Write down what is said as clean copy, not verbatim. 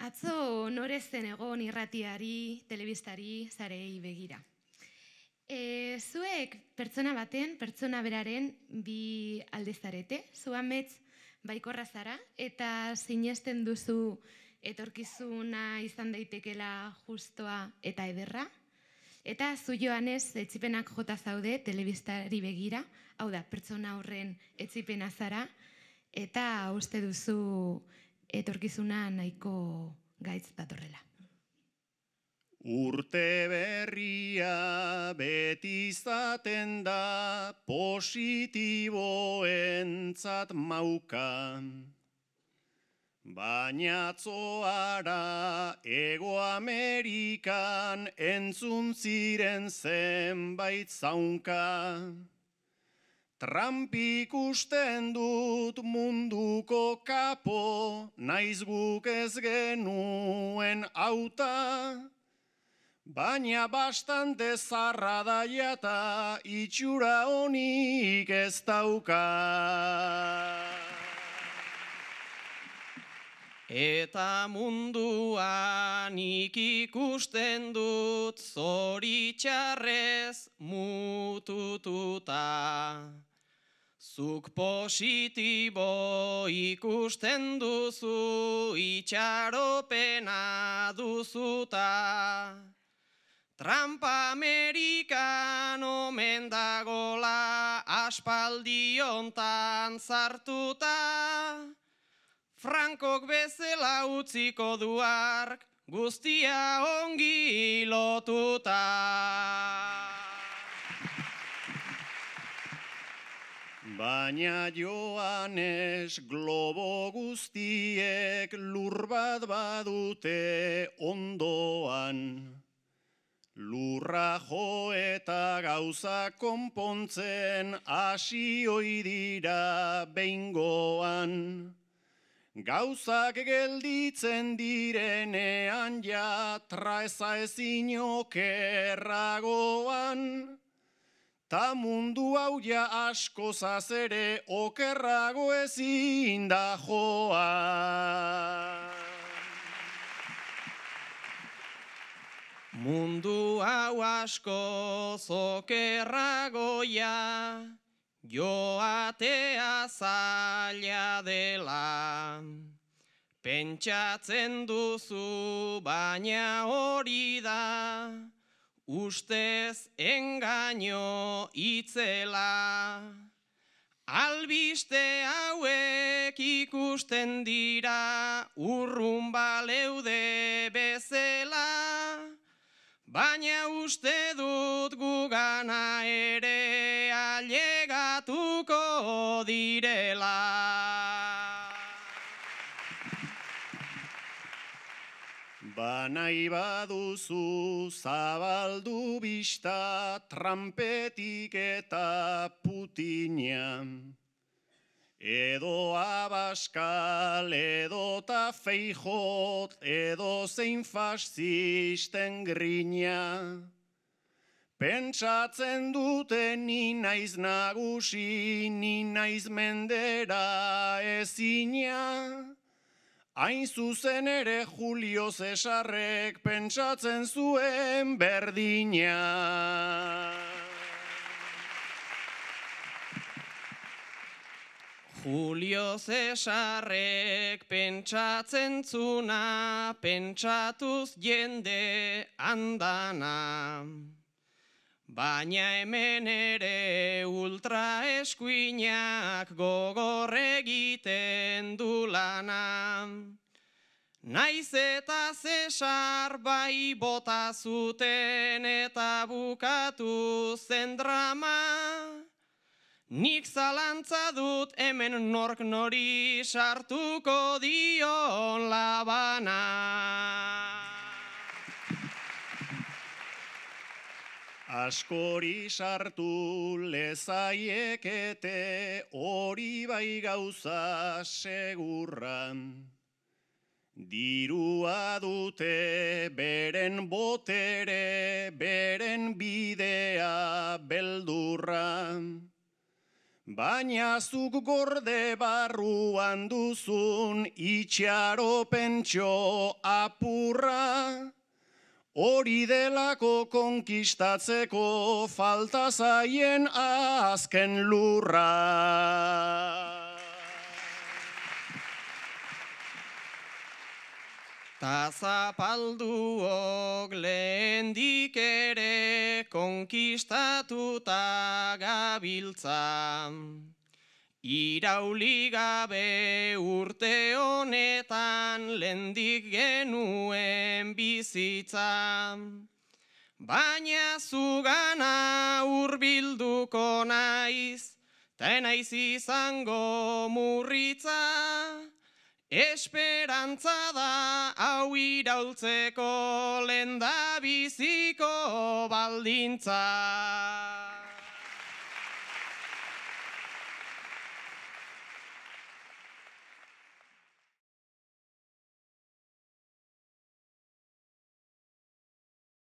Atzo norezen egon irratiari, telebistari, zarei begira. Zuek pertsona baten, pertsona beraren bi aldezarete, zu amets baikorra zara, eta sinesten duzu etorkizuna izan daitekela justoa eta ederra, eta zu Joanes etsipenak jota zaude telebistari begira, hau da, pertsona horren etsipena zara, eta uste duzu etorkizuna nahiko gaitz datorrela. Urte berria beti izaten da positiboentzat mauka. Baina atzoara Ego Amerikan entzun ziren zenbait zaunka. Trump ikusten dut munduko kapo, naiz guk ez genuen auta. Baina bastante zarra da jata, itxura honik ez dauka. Eta munduan ikusten dut zoritxarrez mutututa. Zuk positibo ikusten duzu, itxaropena duzuta. Trump Amerikan omen dagola, aspaldiontan zartuta. Frankok bezala utziko du hark, guztia ongi lotuta. Baina Joanes globo guztiek lur bat badute ondoan. Lurra jo eta gauza konpontzen hasi ohi dira behingoan. Gauzak gelditzen direnean ja traeza ezin okerragoan. Ta mundu hau ja askozaz ere okerrago ezin da joan. Mundu hau askoz okerragoia, joatea zaila dela. Pentsatzen duzu baina hori da, ustez engaino itzela. Albiste hauek ikusten dira, urrun baleude bezala. Baina uste dut gugana ere ailegatuko direla. Banai baduzu zabaldu bista Trumpetik eta Putina. Edo Abascal, edo ta Feijot, edo zein fascisten grina. Pentsatzen dute ni naiz nagusi, ni naiz mendera ezina. Hain zuzen ere Julio Cesarrek pentsatzen zuen berdina. Julio Cesarrek pentsatzen zuna, pentsatuz jende andana. Baina hemen ere ultra eskuinak gogor egiten du lana. Naiz eta Cesar bai bota zuten eta bukatu zen drama. Nik zalantza dut hemen nork nori sartuko dion labana. Askori sartu lezaiekete hori bai gauza segurra. Dirua dute beren botere, beren bidea beldurra. baina zuk gorde barruan duzun itxaropentxo apurra, hori delako konkistatzeko falta zaien azken lurra. Ta zapalduok lehendik ere konkistatuta gabiltza. Irauli gabe urte honetan lehendik genuen bizitza. Baina zugana hurbilduko naiz, ta naiz izango murritza. Esperantza da hau iraultzeko lehendabiziko baldintza.